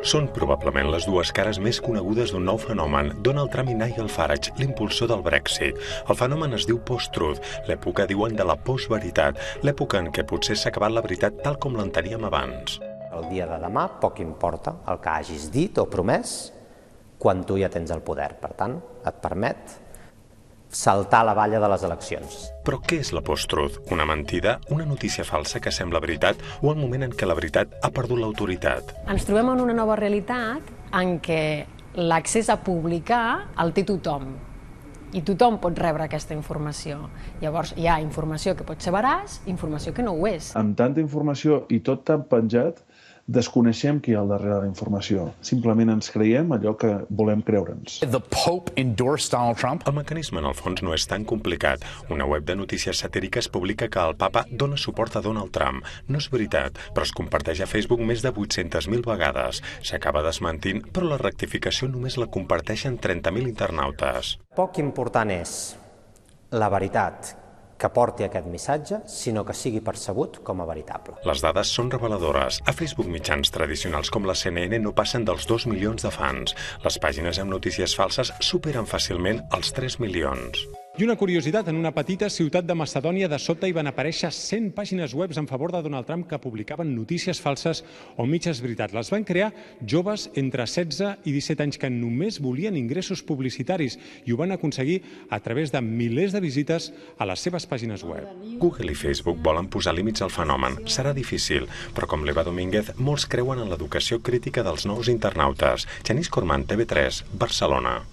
Són probablement les dues cares més conegudes d'un nou fenomen, Donald Trump i Nigel Farage, l'impulsor del Brexit. El fenomen es diu post-truth, l'època diuen de la postveritat, l'època en què potser s'ha acabat la veritat tal com l'enteníem abans. El dia de demà poc importa el que hagis dit o promès quan tu ja tens el poder. Per tant, et permet saltar la valla de les eleccions. Però què és la post-truth? Una mentida, una notícia falsa que sembla veritat o el moment en què la veritat ha perdut l'autoritat? Ens trobem en una nova realitat en què l'accés a publicar el té tothom i tothom pot rebre aquesta informació. Llavors hi ha informació que pot ser veraç, informació que no ho és. Amb tanta informació i tot tan penjat, desconeixem qui hi ha al darrere de la informació. Simplement ens creiem allò que volem creure'ns. The Pope endorsed Donald Trump. El mecanisme, en el fons, no és tan complicat. Una web de notícies satíriques publica que el papa dona suport a Donald Trump. No és veritat, però es comparteix a Facebook més de 800.000 vegades. S'acaba desmentint, però la rectificació només la comparteixen 30.000 internautes. Poc important és la veritat que porti aquest missatge, sinó que sigui percebut com a veritable. Les dades són reveladores. A Facebook mitjans tradicionals com la CNN no passen dels 2 milions de fans. Les pàgines amb notícies falses superen fàcilment els 3 milions. I una curiositat, en una petita ciutat de Macedònia de sobte hi van aparèixer 100 pàgines webs en favor de Donald Trump que publicaven notícies falses o mitges veritats. Les van crear joves entre 16 i 17 anys que només volien ingressos publicitaris i ho van aconseguir a través de milers de visites a les seves pàgines web. Google i Facebook volen posar límits al fenomen. Serà difícil, però com l'Eva Domínguez, molts creuen en l'educació crítica dels nous internautes. Genís Corman, TV3, Barcelona.